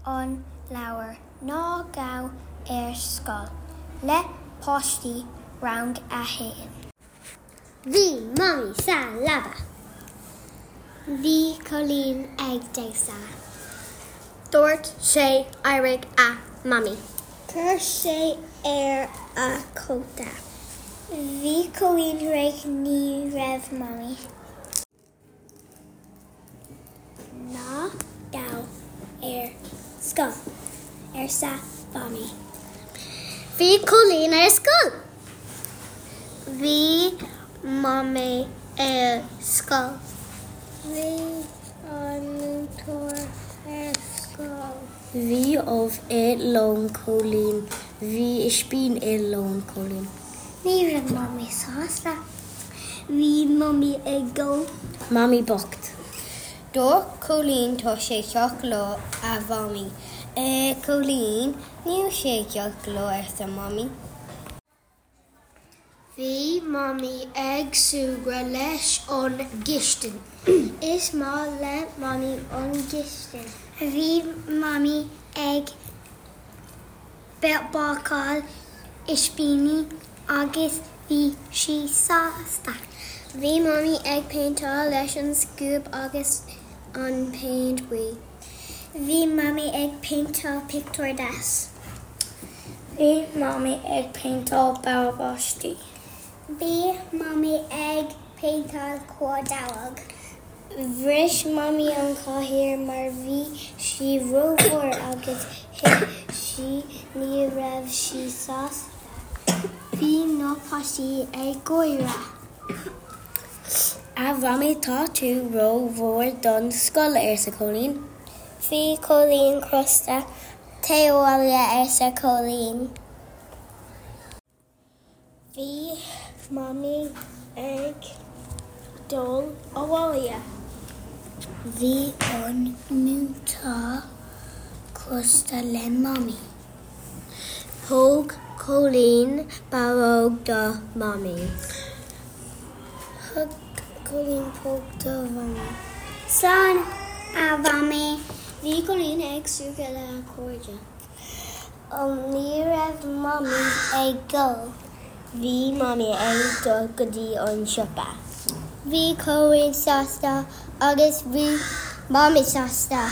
an leabhar Ná Gabh ar Scoil le páistí Rang 1. Bhí Mamaí sa leaba. Bhí Cóilín ag damhsa. Dúirt sé éirigh a Mamaí. Chuir sé air a chóta. Bhí Cóilín réidh ní raibh Mamaí. Ná gabh ar scoil, arsa Mamaí. Bhí Cóilín ar scoil. Bhí Mamaí ar scoil. Bhí an múinteoir ar scoil. Bhí ubh i lón Chóilín. Bhí ispín i lón Chóilín. Ní raibh Mamaí sásta. Bhí Mamaí ag gol. Mamaí bocht. Dúirt Cóilín tá sé ceart go leor a Mhamaí. A Chóilín, níl sé ceart go leor arsa Mamaí. Bhí Mamaí ag súgradh leis an gcistin. Is maith le Mamaí an gcistin. Bhí Mamaí ag bácáil ispíní agus bhí sí sásta. Bhí Mamaí ag péinteáil leis an scuab agus an péint buí. Bhí Mamaí ag péinteáil pictiúr deas. Bhí Mamaí ag péinteáil báistí. Bhí Mamaí ag péinteáil corrdhuilleog. Bhris Mamaí an chathaoir mar bhí sí rómhór agus thit sí ní raibh sí sásta. Bhí na páistí ag gáire. A Mhamaí tá tú rómhór don scoil, arsa Cóilín. Bhí Cóilín crosta. Téigh abhaile, arsa Cóilín. Bhí Mamaí ag dul abhaile. Bhí an múinteoir crosta le Mamaí. Thug Cóilín barróg do Mhamaí. Thug Cóilín póg do Mhamaí. Slán, a Mhamaí. Bhí Cóilín ag súgradh lena chairde. Ní raibh Mamaí ag gol. Bhí Mamaí ag dul go dtí an siopa. Bhí Cóilín sásta agus bhí Mamaí sásta.